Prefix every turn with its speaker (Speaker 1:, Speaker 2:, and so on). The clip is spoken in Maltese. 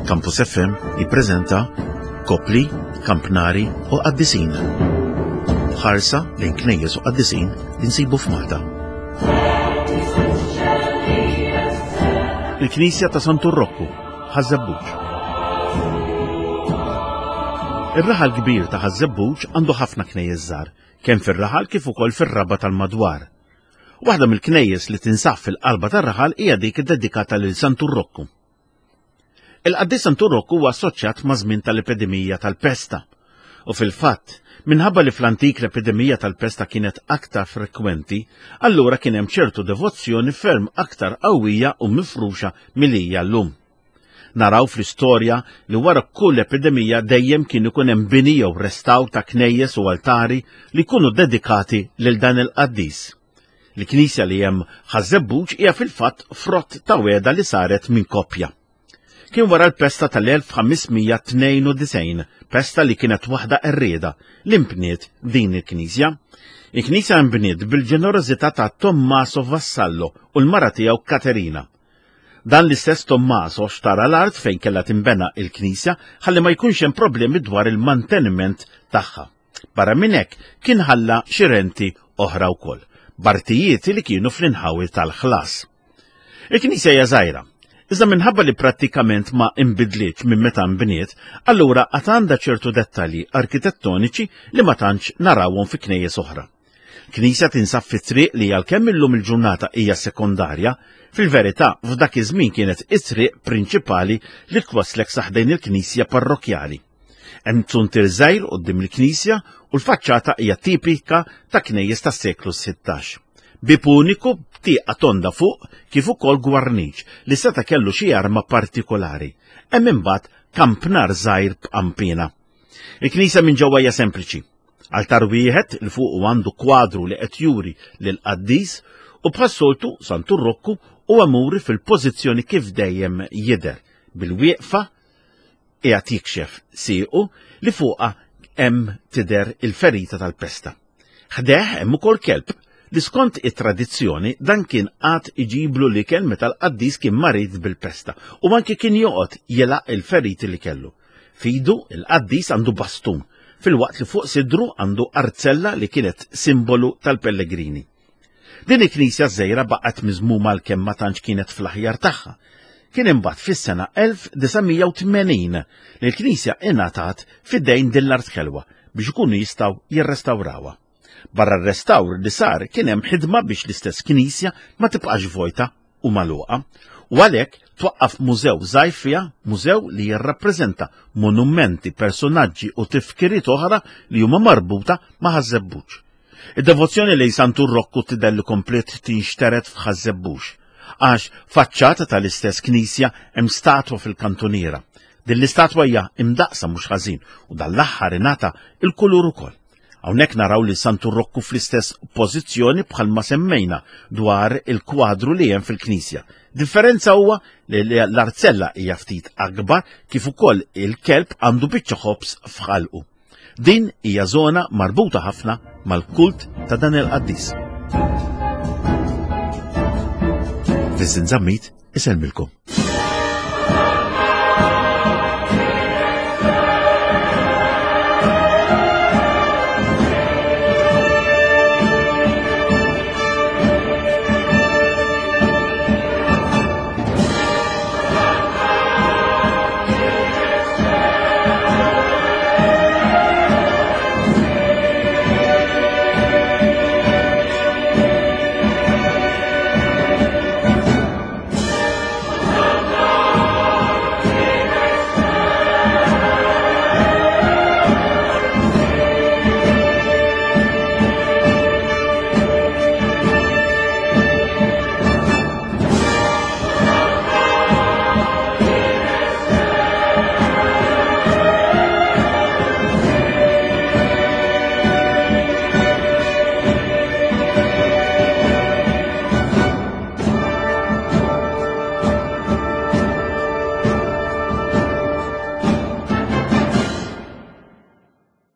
Speaker 1: Campus FM jippreżenta Kopli, Kampnari u Qaddisin. Ħarsa lejn knejjes u qaddisin li nsibu f'Malta. Il-Knisja ta' Santu Rokku, Ħaż-Żebbuġ. Ir-raħal kbir ta' Ħaż-Żebbuġ għandu ħafna knejjes żgħar, kemm fir-raħal kif ukoll fir-raba tal-madwar. Waħda mill-knejjes li tinsab fil-qalba tar-raħal hija dik iddedikata lil Santu Rokku. Il-qaddis Santu Rokku huwa assoċjat ma' żmien tal-epidemija tal-pesta. U fil-fatt, minħabba li fl-antik l-epidemija tal-pesta kienet aktar frekwenti, allura kien hemm ċertu devozzjoni ferm aktar qawwija u mifruxa milli hija llum. Naraw fl-istorja li wara kull epidemija dejjem kien ikun hemm bini jew restawr ta' knejjes u altari li jkunu dedikati lil dan il-qaddis. Il-knisja li hemm Ħaż-Żebbuġ hija fil-fatt frott ta' wegħda li saret minn koppja. Kien wara l-pesta tal-1592, pesta li kienet waħda qerrieda, li nbniet din il-knisja. Il-knisja nbniet bil-ġenerożità ta' Tommaso Vassallo u l-mara tiegħu Katerina. Dan l-istess Tommaso xtara l-art fejn kellha tinbena il-knisja ħalli ma jkunx hemm problemi dwar il-manteniment tagħha. Barra minn hekk kien ħalla xi renti oħra wkoll, b'artijiet li kienu fl-inħawi tal-ħlas. Il-knisja hija żgħira, iżda minħabba li prattikament ma inbidlitx minn meta nbniet, allura għad għandha ċertu dettalji arkitettoniċi li ma tantx narawhom fi knejjes oħra. Knisja tinsab fi triq li għalkemm illum il-ġurnata hija sekondarja, fil-verità f'dak iż-żmien kienet it-triq prinċipali li twasslek sa ħdejn il-knisja parrokkjali. Hemm zuntier żgħir quddiem il-knisja u l-faċċata hija tipika ta' knejjes tas-seklu 16. Bieb uniku b'tieqa tonda fuq kif ukoll gwarniċ li seta' kellu xi arma partikolari. Hemm imbagħad kampnar żgħir b'qanpiena. Il-knisja minn ġewwa hija sempliċi. Altar wieħed li fuqu għandu kwadru li qed juri lil qaddis u bħas-soltu Santu Rokku huwa muri fil-pożizzjoni kif dejjem jidher bil-wieqfa qiegħed jikxef siequ li fuqha hemm tidher il-ferita tal-pesta. Ħdejh hemm ukoll kelb li skont it-tradizzjoni dan kien qagħad iġiblu l-ikel meta l-qaddis kien marid bil-pesta u anki kien joqgħod jilgħaq il-feriti li kellu. F'idu il-qaddis għandu bastun, filwaqt li fuq sidru għandu arzella li kienet simbolu tal-pellegrini. Din il-knisja żgħira baqgħet miżmuma għalkemm ma tantx kienet fl-aħjar tagħha. Kien imbagħad fis-sena 1980 li l-knisja ingħatat f'idejn din l-art ħelwa biex ikunu jistgħu jirrestawrawha. Barra r-restawr li sar kien hemm ħidma biex l-istess knisja ma tibqax vojta u magħluqa u għalhekk twaqqaf mużew żgħir fiha, mużew li jirrappreżenta monumenti, personaġġi u tifkiriet oħra li huma marbuta ma' Ħaż-Żebbuġ. Id-devozzjoni lejn Santu Rokku tidher li kompliet tinxtered f'Ħaż-Żebbuġ, għax faċċata tal-istess knisja hemm statwa fil-kantuniera. Din l-istatwa hija imdaqqsa mhux ħażin u dan l-aħħar ingħata il-kulur ukoll. Hawnhekk naraw lil Santu Rokku fl-istess pożizzjoni bħalma semmejna dwar il-kwadru li hemm fil-knisja. Differenza huwa li l-arzella hija ftit akbar kif ukoll il-kelb għandu biċċa ħobż f'ħalqu. Din hija żona marbuta ħafna mal-kult ta' dan il-qaddis. Vincent Zammit isellmilkom.